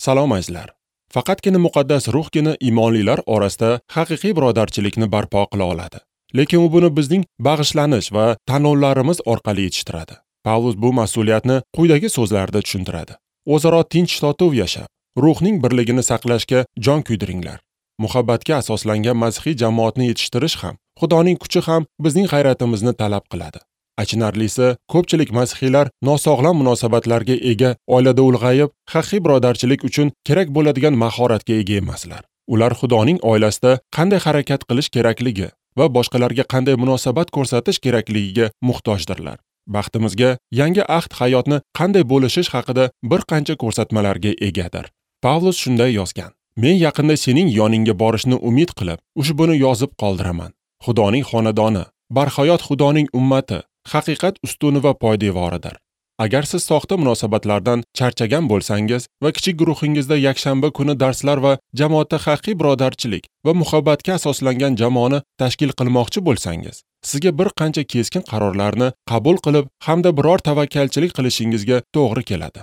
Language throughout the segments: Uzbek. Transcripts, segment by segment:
Salom azizlar. Faqatgina muqaddas ruhgina iymonlilar orasida haqiqiy birodarchilikni barpo qila oladi. Lekin u buni bizning bag'ishlanish va tanlovlarimiz orqali yetishtiradi. Pavlus bu mas'uliyatni quyidagi so'zlarda tushuntiradi. O'zaro tinch totuv yashab, ruhning birligini saqlashga jon kuydiringlar. Muhabbatga asoslangan masihiy jamoatni yetishtirish ham, Xudoning kuchi ham bizning g'ayratimizni talab qiladi. Achinarlisi, ko'pchilik masihiylar nosog'lom munosabatlarga ega oilada ulg'ayib, haqiqiy birodarchilik uchun kerak bo'ladigan mahoratga ega emaslar. Ular Xudoning oilasida qanday harakat qilish kerakligi va boshqalarga qanday munosabat ko'rsatish kerakligiga muhtojdirlar. Baxtimizga, yangi ahd hayotni qanday bo'lishish haqida bir qancha ko'rsatmalarga egadir. Pavlus shunday yozgan: Men yaqinda sening yoningga borishni umid qilib, ushbuni yozib qoldiraman. Xudoning xonadoni, barhayot Xudoning ummati, haqiqat ustuni va poydevoridir. Agar siz soxta munosabatlardan charchagan bo'lsangiz va kichik guruhingizda yakshanba kuni darslar va jamoatda haqiqiy birodarchilik va muhabbatga asoslangan jamoani tashkil qilmoqchi bo'lsangiz, sizga bir qancha keskin qarorlarni qabul qilib hamda biror tavakkalchilik qilishingizga to'g'ri keladi.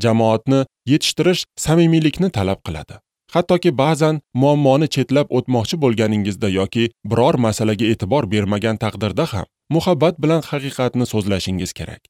Jamoatni yetishtirish samimiylikni talab qiladi. Hattoki ba'zan muammoni chetlab o'tmoqchi bo'lganingizda yoki biror masalaga e'tibor bermagan taqdirda ham muhabbat bilan haqiqatni so'zlashingiz kerak.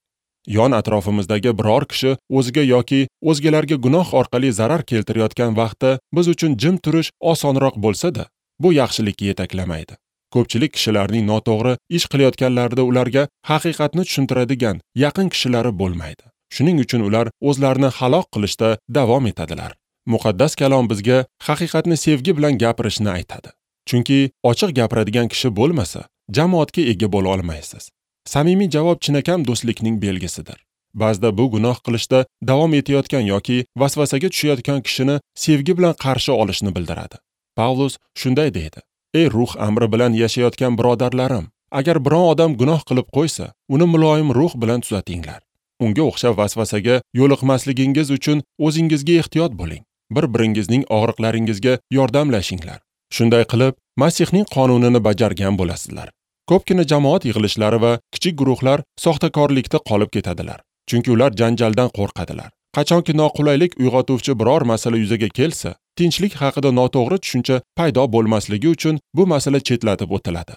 Yon atrofimizdagi biror kishi o'ziga yoki o'zgalarga gunoh orqali zarar keltirayotgan vaqtda biz uchun jim turish osonroq bo'lsa-da, bu yaxshilikka yetaklamaydi. Ko'pchilik kishilarning noto'g'ri ish qilayotganlarida ularga haqiqatni tushuntiradigan yaqin kishilari bo'lmaydi. Shuning uchun ular o'zlarini halok qilishda davom etadilar. Muqaddas kalom bizga haqiqatni sevgi bilan gapirishni aytadi. Chunki ochiq gapiradigan kishi bo'lmasa, jamoatga ega bo'la olmaysiz. Samimiy javob chinakam do'stlikning belgisidir. Ba'zida bu gunoh qilishda davom etayotgan yoki vasvasaga tushayotgan kishini sevgi bilan qarshi olishni bildiradi. Pavlus shunday deydi: Ey ruh amri bilan yashayotgan birodarlarim, agar biron odam gunoh qilib qo'ysa, uni muloyim ruh bilan tuzatinglar. Unga o'xshab vasvasaga yo'liqmasligingiz uchun o'zingizga ehtiyot bo'ling. Bir-biringizning og'riqlaringizga yordamlashinglar. Shunday qilib, Masihning qonunini bajargan bo'lasizlar. Ko'pgina jamoat yig'ilishlari va kichik guruhlar soxtakorlikda qolib ketadilar. Chunki ular janjaldan qo'rqadilar. Qachonki noqulaylik uyg'otuvchi biror masala yuzaga kelsa, tinchlik haqida noto'g'ri tushuncha paydo bo'lmasligi uchun bu masala chetlatib o'tiladi.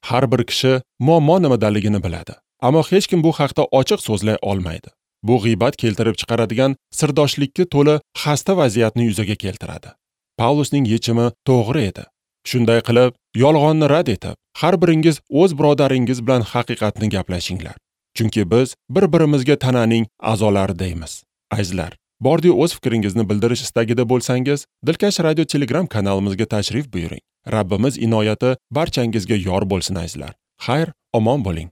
Har bir kishi muammo nimadaligini biladi, ammo hech kim bu haqda ochiq so'zlay olmaydi. Bu g'iybat keltirib chiqaradigan sirdoshlikka to'la xasta vaziyatni yuzaga keltiradi. Pavlusning yechimi to'g'ri edi. Shunday qilib, yolg'onni rad etib, har biringiz o'z birodaringiz bilan haqiqatni gaplashinglar. Chunki biz bir-birimizga tananing a'zolari deymiz. Azizlar, bordi o'z fikringizni bildirish istagida bo'lsangiz, Dilkash Radio Telegram kanalimizga tashrif buyuring. Rabbimiz inoyati barchangizga yor bo'lsin azizlar. Xayr, omon bo'ling.